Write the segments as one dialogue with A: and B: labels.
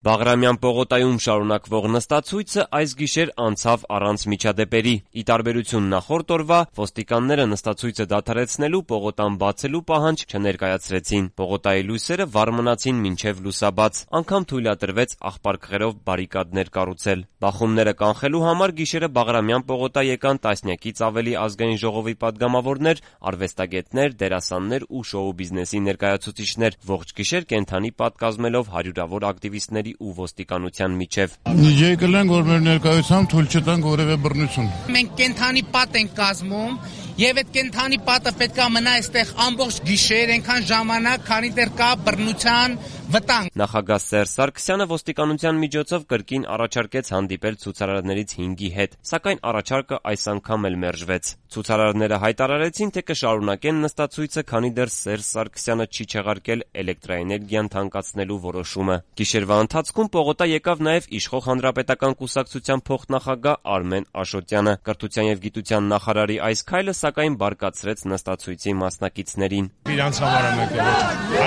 A: Բաղրամյան պողոտայում շարունակվող նստացույցը այս գիշեր անցավ առանց միջադեպերի։ Ի տարբերություն նախորդ օրվա, ոստիկանները նստացույցը դադարեցնելու, պողոտան բացելու պահանջ չներկայացրեցին։ Պողոտայի լույսերը վառ մնացին մինչև լուսաբաց, անգամ թույլատրվեց աղբարկղերով բարիկադներ կառուցել։ Բախումները կանխելու համար գիշերը Բաղրամյան պողոտա եկան տասնյակից ավելի ազգային ժողովի պատգամավորներ, արվեստագետներ, դերասաններ ու շոու բիզնեսի ներկայացուցիչներ, ողջ գիշեր կենդանի պատկազմելով հարյուրավոր ակտիվիստների ու ոստիկանության միջև։
B: Եկել ենք, որ մեր ներկայությամբ թույլ չտանք որևէ բռնություն։
C: Մենք կենդանի պատ ենք կազմում եւ այդ կենդանի պատը պետքա մնա այստեղ ամբողջ գիշեր, այնքան ժամանակ, քանի դեռ կա բռնության վտանգ։
A: Նախագահ Սերժ Սարգսյանը ոստիկանության միջոցով կրկին առաջարկեց հանդիպել ցուցարարներից 5-ի հետ, սակայն առաջարկը այս անգամ էլ մերժվեց։ Ցուցարարները հայտարարեցին, թե կշարունակեն նստացույցը, քանի դեռ Սերժ Սարգսյանը չի չեղարկել էլեկտրաէներգիան թանկացնելու որոշումը։ Գիշերվա ընթացքում պողոտա եկավ նաև իշխող Հանրապետական կուսակցության փոխնախագահ Արմեն Աշոտյանը։ Կրթության եւ գիտության նախարարի այս քայլը սակայն բարկացրեց նստացույցի մասնակիցներին։
B: Իրանց համար եմ եկել։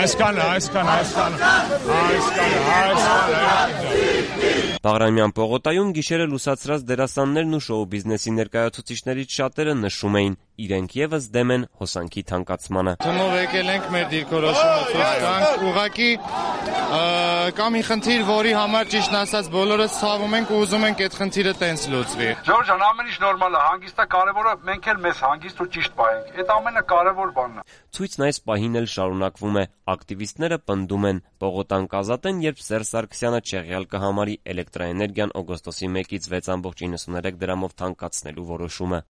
B: Այսքան։
A: Բաղրամյան պողոտայում գիշերը լուսացրած դերասաններն ու շոու բիզնեսի ներկայացուցիչներից շատերը նշում էին, իրենք եւս դեմ են հոսանքի թանկացմանը։
D: Թումով եկել ենք մեր դիրքորոշումը ցույց տանք, ուղղակի կա մի խնդիր, որի համար ճիշտն ասած բոլորս ցավում ենք ու ուզում ենք այդ խնդիրը տենց լուծվի։
E: Ժորժ ջան, ամեն ինչ նորմալ է, հանգիստը կարևորը, մենք էլ մեզ հանգիստ ու ճիշտ պահենք։ Այդ ամենը կարևոր բանն է։
A: Ցույցն այս պահին էլ շարունակվում է։ Ակտիվիստները պնդում են, պողոտան կազատեն, երբ Սերժ Սարգսյանը չեղյալ կհամարի էլեկտրաէներգիան օգոստոսի 1-ից 6.93 դրամով թանկացնելու որոշումը։